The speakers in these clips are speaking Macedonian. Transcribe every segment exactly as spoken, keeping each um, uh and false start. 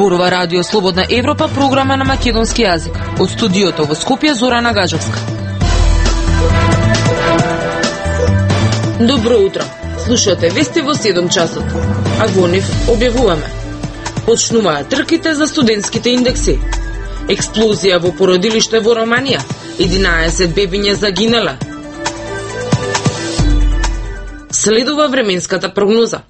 Зборува Радио Слободна Европа, програма на македонски јазик. Од студиото во Скопје, Зорана Гаджевска. Добро утро. Слушате вести во седум часот. А во нив објавуваме: почнуваат трките за студентските индекси. Експлозија во породилиште во Романија. единаесет бебиња загинале. Следува временската прогноза.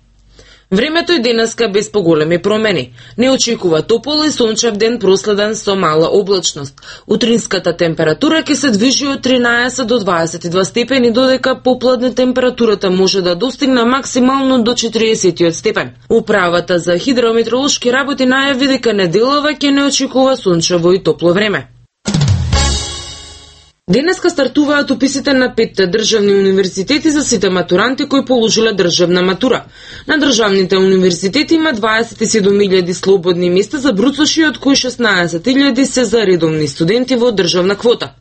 Времето и денеска без поголеми промени. Не очекува топол и сончев ден проследен со мала облачност. Утринската температура ќе се движи од тринаесет до дваесет и два степени, додека попладне температурата може да достигне максимално до четириесет степен. Управата за хидрометеоролошки работи најави дека неделава ќе не очекува сончево и топло време. Денеска стартуваат уписите на петте државни универзитети за сите матуранти кои положиле државна матура. На државните универзитети има дваесет и седум илјади слободни места за бруцоши, од кои шеснаесет илјади се за редовни студенти во државна квота.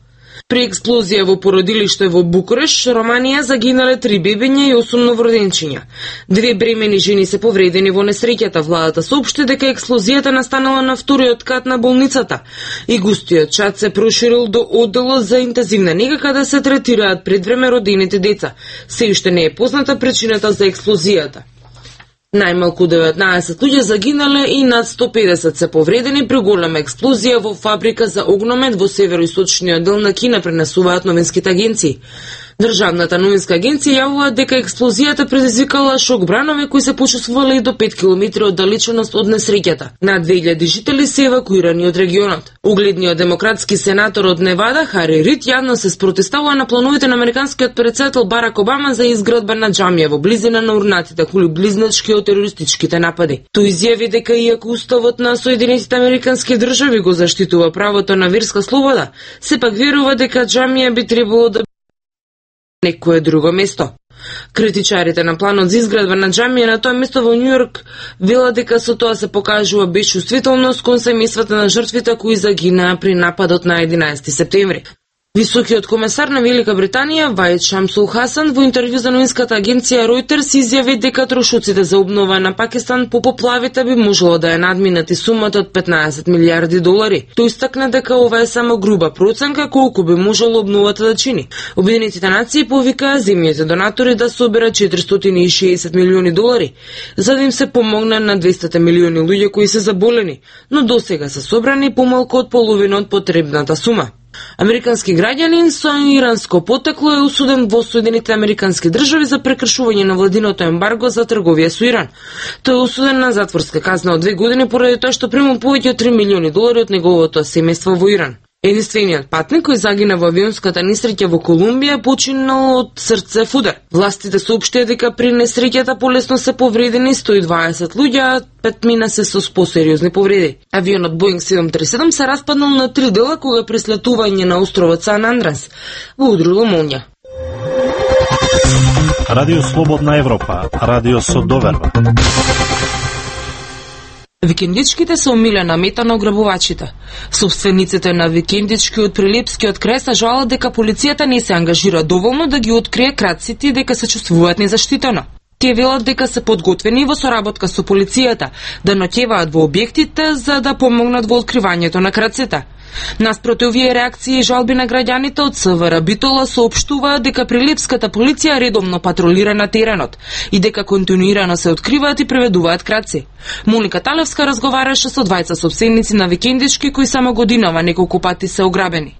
При експлозија во породилиште во Букуреш, Романија, загинале три бебиња и осум новороденчиња. Две бремени жени се повредени во несреќата. Владата соопшти дека експлозијата настанала на вториот кат на болницата и густиот чад се проширил до одделот за интензивна нега каде се третираат предвреме родените деца. Се уште не е позната причината за експлозијата. Најмалку деветнаесет луѓе загинале и над сто педесет се повредени при голема експлозија во фабрика за огномет во североисточниот дел на Кина, пренесуваат новинските агенции. Државната новинска агенција јавува дека експлозијата предизвикала шок бранови кои се почувствувале и до пет километри оддалеченост од несреќата. Над две илјади жители се евакуирани од регионот. Угледниот демократски сенатор од Невада, Хари Рид, јавно се спротивстава на плановите на американскиот претседател Барак Обама за изградба на џамија во близина на урнатите кули близначки од терористичките напади. Тој изјави дека иако уставот на Соединетите американски држави го заштитува правото на верска слобода, сепак верува дека џамија би требало да некое друго место. Критичарите на планот за изградба на џамија на тоа место во Њујорк велат дека со тоа се покажува безчувствителност кон семејствата на жртвите кои загинаа при нападот на единаесети септември. Високиот комесар на Велика Британија, Ваид Шамсул Хасан, во интервју за новинската агенција Reuters изјави дека трошоците за обнова на Пакистан по поплавите би можело да ја надминат и сумата од петнаесет милијарди долари. Тој истакна дека ова е само груба проценка колку би можело обновата да чини. Обединетите нации повикаа земјите донатори да соберат четиристотини и шеесет милиони долари, за да им се помогне на двесте милиони луѓе кои се заболени, но досега се собрани помалку од половина од потребната сума. Американски граѓанин со иранско потекло е осуден во Соединетите американски држави за прекршување на владиното ембарго за трговија со Иран. Тој е осуден на затворска казна од две години поради тоа што примал повеќе од три милиони долари од неговото семејство во Иран. Единствениот патник кој загина во авионската несреќа во Колумбија починал од срцев удар. Властите соопштија дека при несреќата полесно се повредени сто и дваесет луѓе, а петмина се со посериозни повреди. Авионот Боинг седум три седум се распаднал на три дела кога при слетување на островот Сан Андрес го удрило молња. Радио Слободна Европа, радио со доверба. Викендичките се омилена мета на ограбувачите. Собствениците на викендички од Прилепскиот крај се жалат дека полицијата не се ангажира доволно да ги открие крадците и дека се чувствуваат незаштитено. Тие велат дека се подготвени во соработка со полицијата да ноќеваат во објектите за да помогнат во откривањето на крадците. Наспроти овие реакции и жалби на граѓаните од СВР Битола соопштуваат дека прилепската полиција редовно патролира на теренот и дека континуирано се откриваат и преведуваат крадци. Моника Талевска разговараше со двајца собственици на викендички кои само годинава неколку пати се ограбени.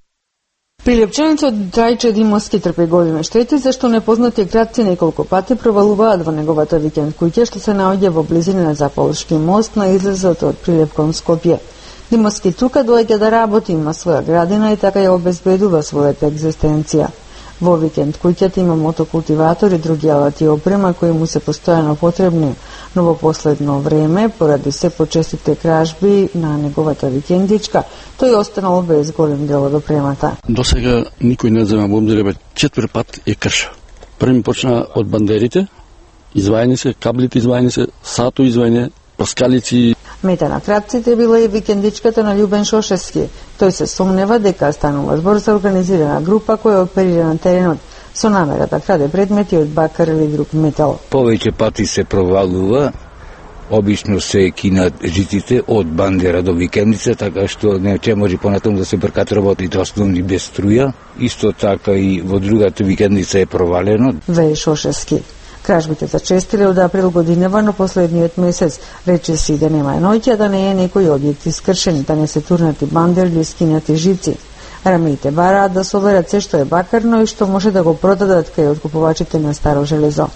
Прилепчаницот Драјче Димовски трпи големи штети зашто непознати крадци неколку пати провалуваат во неговата викенд куќа што се наоѓа во близина на Заполшки мост на излезот од Прилеп кон Скопје. Димовски тука доаѓа да работи, има своја градина и така ја обезбедува својата екзистенција. Во викенд куќата има мотокултиватор и други алати и опрема кои му се постојано потребни, но во последно време, поради се почестите кражби на неговата викендичка, тој останал без голем дел од опремата. До сега никој не зема во обзир, четвр пат е крша. Први почна од бандерите, извајани се, каблите извајани се, сато извајане, паскалици. Мета на крадците била и викендичката на Љубен Шошевски. Тој се сомнева дека станува збор за организирана група која оперира на теренот со намера да краде предмети од бакар или друг метал. Повеќе пати се провалува обично се кинат жиците од Бандера до Викендица, така што не ќе може понатаму да се бркат работите основни без струја. Исто така и во другата Викендица е провалено. Веј Шошевски. Кражбите зачестиле од април годинава, но последниот месец рече си да нема ноќа, да не е некои објекти скршени, да не се турнати бандер или скинати жици. Рамеите бараат да соверат се што е бакарно и што може да го продадат кај откупувачите на старо железо.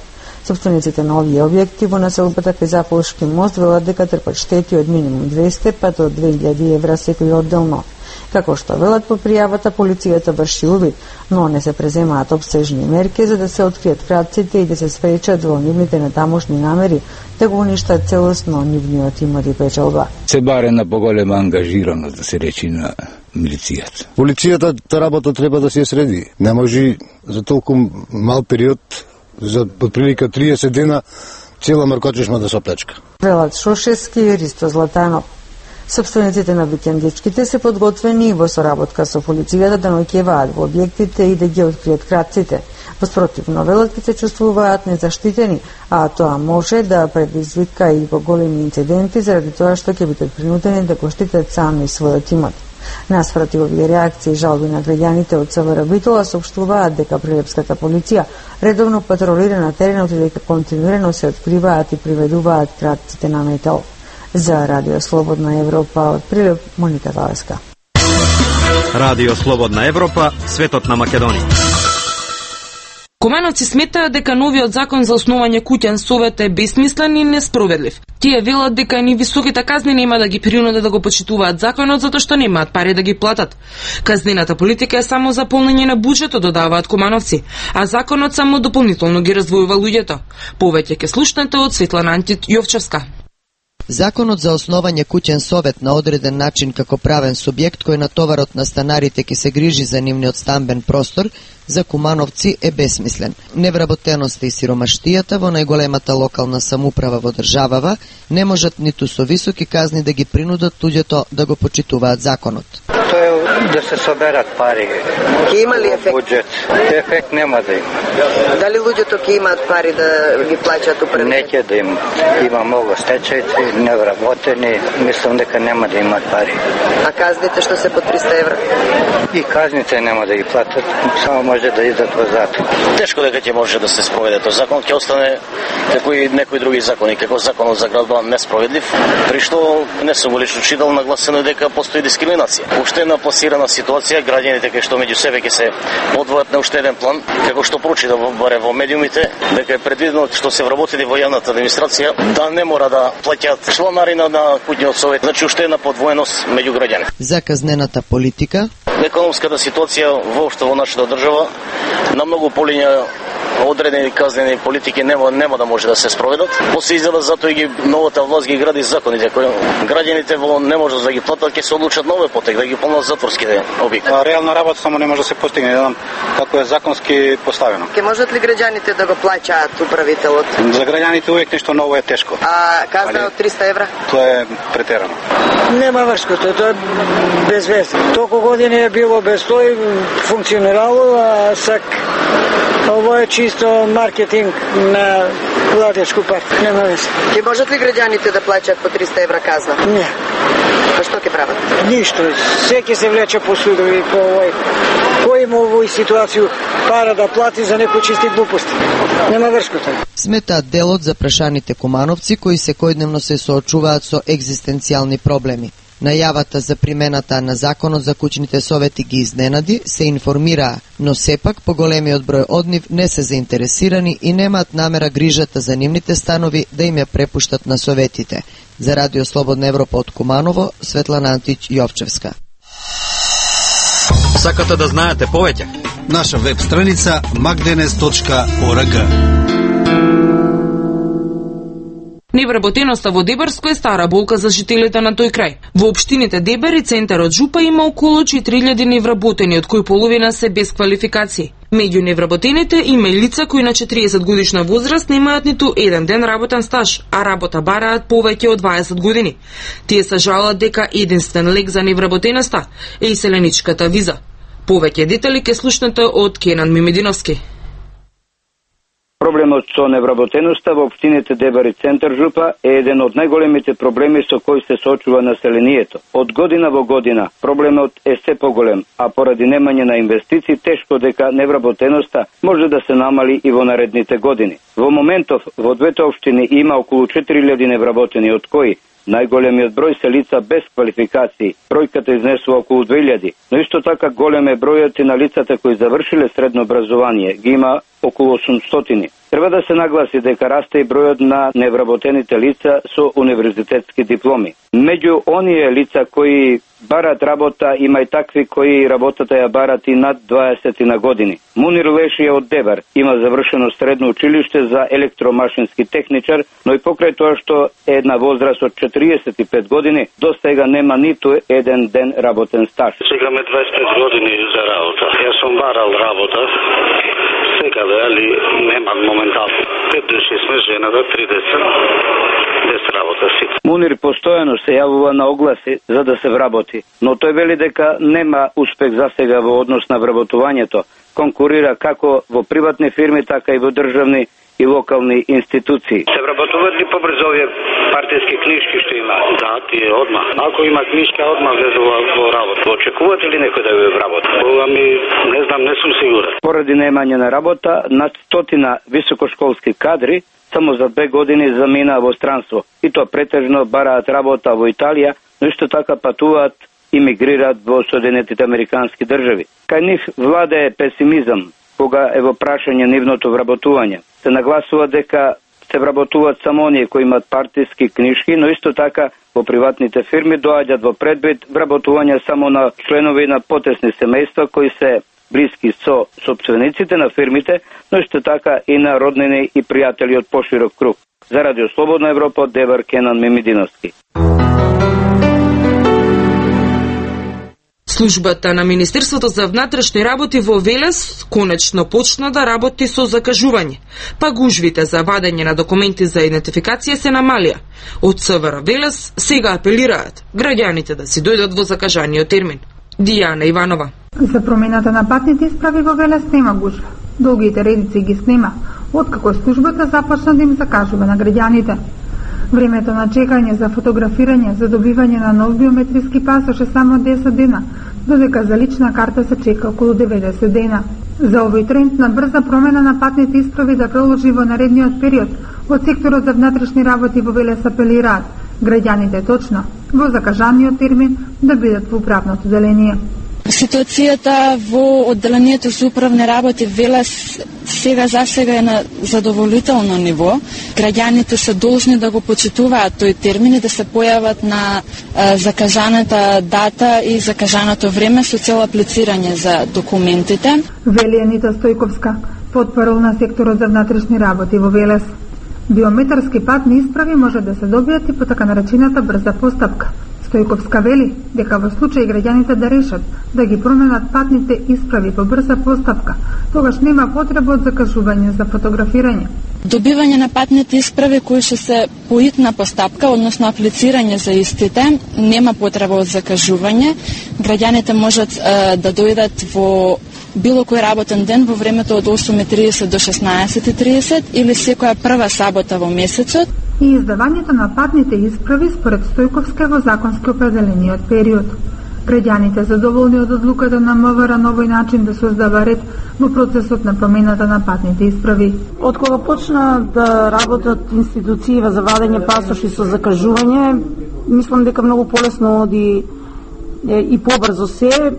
Собствениците на овие објекти во населбата кај Заполшки мост велат дека трпат штети од минимум двесте па до две илјади евра секој одделно. Како што велат по пријавата, полицијата врши увид, но не се преземаат обсежни мерки за да се откријат крадците и да се спречат во нивните натамошни намери да го уништат целосно нивниот имот и печалба. Се баре на поголема ангажираност, да се речи, на милицијата. Полицијата та работа треба да се среди. Не може за толку мал период, за отприлика триесет дена, цела маркотишма да се оплечка. Велат Шошевски и Ристо Златанов. Собствениците на викендичките се подготвени во соработка со полицијата да наоѓаат во објектите и да ги откријат крадците. Воспротивно, велат ќе се чувствуваат незаштитени, а тоа може да предизвика и поголеми инциденти заради тоа што ќе бидат принудени да го штитат сами својот имот. Наспроти овие реакции и жалби на граѓаните од СВР Битола соопштуваат дека прилепската полиција редовно патролира на теренот и дека континуирано се откриваат и приведуваат крадците на метал. За Радио Слободна Европа од Прилеп, Моника Талеска. Радио Слободна Европа, светот на Македонија. Кумановци сметаат дека новиот закон за основање куќен совет е бесмислен и неспроведлив. Тие велат дека ни високите казни нема да ги принудат да го почитуваат законот затоа што немаат пари да ги платат. Казнената политика е само за полнење на буџетот, додаваат Кумановци, а законот само дополнително ги раздвојува луѓето. Повеќе ќе слушнете од Светлана Антит Јовчевска. Законот за основање куќен совет на одреден начин како правен субјект кој натоварот на станарите ќе се грижи за нивниот стамбен простор, за Кумановци е бесмислен. Невработеноста и сиромаштијата во најголемата локална самоуправа во државава не можат ниту со високи казни да ги принудат луѓето да го почитуваат законот. Тоа е да се соберат пари. Ќе има ли ефект? Буџет. Ефект нема да има. Дали луѓето ќе имаат пари да ги плаќаат управите? Не ќе да има. Има многу стечајци, невработени, мислам дека нема да имаат пари. А казните што се по триста евра? И казните нема да ги платат, само може да идат во затвор. Тешко дека ќе може да се спроведе тој закон, ќе остане како и некои други закони, како законот за градба несправедлив, при што не сум лично читал нагласено дека постои дискриминација. Уштена пласирана ситуација, граѓаните кои што меѓу себе ќе се одвојат на уштеден план, како што прочитав баре во медиумите, дека е предвидено што се вработени во јавната администрација да не мора да плаќаат чланарина на куќниот совет, значи уштена подвоеност меѓу граѓани. За казнената политика, економската ситуација воопшто во нашата држава на многу полиња одредени казнени политики нема нема да може да се спроведат. После изгледа затоа и ги новата власт ги гради законите кои граѓаните во не може да ги платат, ќе се одлучат нови потек да ги полнат затворските објекти. Реална работа само не може да се постигне, не знам како е законски поставено. Ке можат ли граѓаните да го плаќаат управителот? За граѓаните увек нешто ново е тешко. А казна од триста евра? Тоа е претерано. Нема вршко, тоа е безвезно. Толку години е било без тој функционирало, а сак ово е чисто маркетинг на владечку партија. Нема вез. Ке можат ли граѓаните да плаќаат по триста евра казна? Не. Па што ќе прават? Ништо. Секи се влече по судови по овој. Кој има овој ситуација пара да плати за некои чисти глупости? Нема вршко тоа. Сметаат делот за прашаните Кумановци кои секојдневно се соочуваат со екзистенцијални проблеми. Најавата за примената на законот за куќните совети ги изненади, се информираа, но сепак поголемиот број од нив не се заинтересирани и немаат намера грижата за нивните станови да им ја препуштат на советите. За Радио Слободна Европа од Куманово, Светлана Антич Јовчевска. Сакате да знаете повеќе? Наша веб страница magdenes точка org. Невработеноста во Дебарско е стара болка за жителите на тој крај. Во општините Дебар и центарот Жупа има околу четири илјади невработени, од кои половина се без квалификации. Меѓу невработените има и лица кои на четириесет годишна возраст немаат ниту еден ден работен стаж, а работа бараат повеќе од дваесет години. Тие се жалат дека единствен лек за невработеноста е иселеничката виза. Повеќе детали ке слушнете од Кенан Мимединовски. Проблемот со невработеноста во општините Дебар и Центар Жупа е еден од најголемите проблеми со кои се соочува населението. Од година во година проблемот е се поголем, а поради немање на инвестиции тешко дека невработеноста може да се намали и во наредните години. Во моментов во двете општини има околу четири илјади невработени, од кои најголемиот број се лица без квалификации. Бројката изнесува околу две илјади, но исто така голем е бројот и на лицата кои завршиле средно образование. Ги има околу осумстотини. Треба да се нагласи дека расте и бројот на невработените лица со универзитетски дипломи. Меѓу оние лица кои барат работа има и такви кои работата ја барат и над дваесет на години. Мунир Леши е од Дебар, има завршено средно училиште за електромашински техничар, но и покрај тоа што е на возраст од четириесет и пет години, до сега нема ниту еден ден работен стаж. Сега ме дваесет и пет години за работа. Јас сум барал работа. Сега али нема моментално. Пет души сме, жената, три деца, без работа си. Мунир постојано се јавува на огласи за да се вработи, но тој вели дека нема успех за сега во однос на вработувањето. Конкурира како во приватни фирми, така и во државни и локални институции. Се вработуваат ли побрзо овие партиски книжки што има? Да, тие одма. Ако има книжка, одма влезува во работа. Очекувате ли некој да ја вработи? Бога ми, не знам, не сум сигурен. Поради немање на работа, над стотина високошколски кадри само за две години заминаа во странство. И тоа претежно бараат работа во Италија, но исто така патуваат и мигрираат во Соединетите Американски држави. Кај нив владее песимизам кога е во прашање нивното вработување. Се нагласува дека се вработуваат само оние кои имаат партиски книжки, но исто така во приватните фирми доаѓаат во предвид вработување само на членови на потесни семејства кои се блиски со сопствениците на фирмите, но исто така и на роднини и пријатели од поширок круг. За Радио Слободна Европа, Дебар, Кенан Мемидиновски. Службата на Министерството за внатрешни работи во Велес конечно почна да работи со закажување, па гужвите за вадење на документи за идентификација се намалија. Од СВР Велес сега апелираат граѓаните да си дојдат во закажаниот термин. Дијана Иванова. За промената на патните исправи во Велес нема гужва. Долгите редици ги снима, откако службата започна да им закажува на граѓаните. Времето на чекање за фотографирање за добивање на нов биометриски пасош е само десет дена, додека за лична карта се чека околу деветдесет дена. За овој тренд на брза промена на патните исправи да продолжи во наредниот период, од секторот за внатрешни работи во Велес апелираат граѓаните точно во закажаниот термин да бидат во управното деление. Ситуацијата во одделението за управни работи Велес сега за сега е на задоволително ниво. Граѓаните се должни да го почитуваат тој термин и да се појават на а, закажаната дата и закажаното време со цел аплицирање за документите. Вели Анита Стојковска, потпарол на секторот за внатрешни работи во Велес. Биометарски патни исправи може да се добијат и по така наречената брза постапка. Стојковска вели дека во случај граѓаните да решат да ги променат патните исправи по брза постапка, тогаш нема потреба од закажување за фотографирање. Добивање на патните исправи кои ќе се поитна постапка, односно аплицирање за истите, нема потреба од закажување. Граѓаните можат е, да дојдат во било кој работен ден во времето од осум и тридесет до шеснаесет и тридесет или секоја прва сабота во месецот. И издавањето на патните исправи според Стојковска во законски определениот период. Граѓаните задоволни од одлуката на МВР на овој начин да создава ред во процесот на промената на патните исправи. Од кога почна да работат институции за вадење пасоши со закажување, мислам дека многу полесно оди и побрзо се.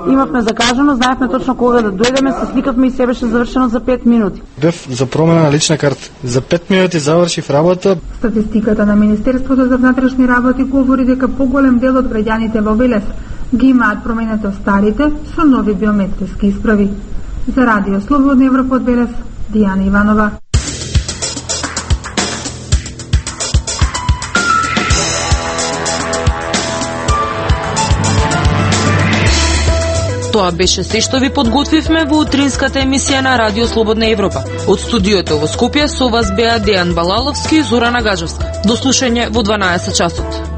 Имавме закажано, знаевме точно кога да дојдеме, се сликавме и се беше завршено за пет минути. Бев за промена на лична карта. За пет минути завршив работа. Статистиката на Министерството за внатрешни работи говори дека поголем дел од граѓаните во Велес ги имаат променето старите со нови биометриски исправи. За Радио Слободна Европа од Велес, Дијана Иванова. Тоа беше се што ви подготвивме во утринската емисија на Радио Слободна Европа. Од студиото во Скопје со вас беа Дејан Балаловски и Зорана Гажевска. До слушање во дванаесет часот.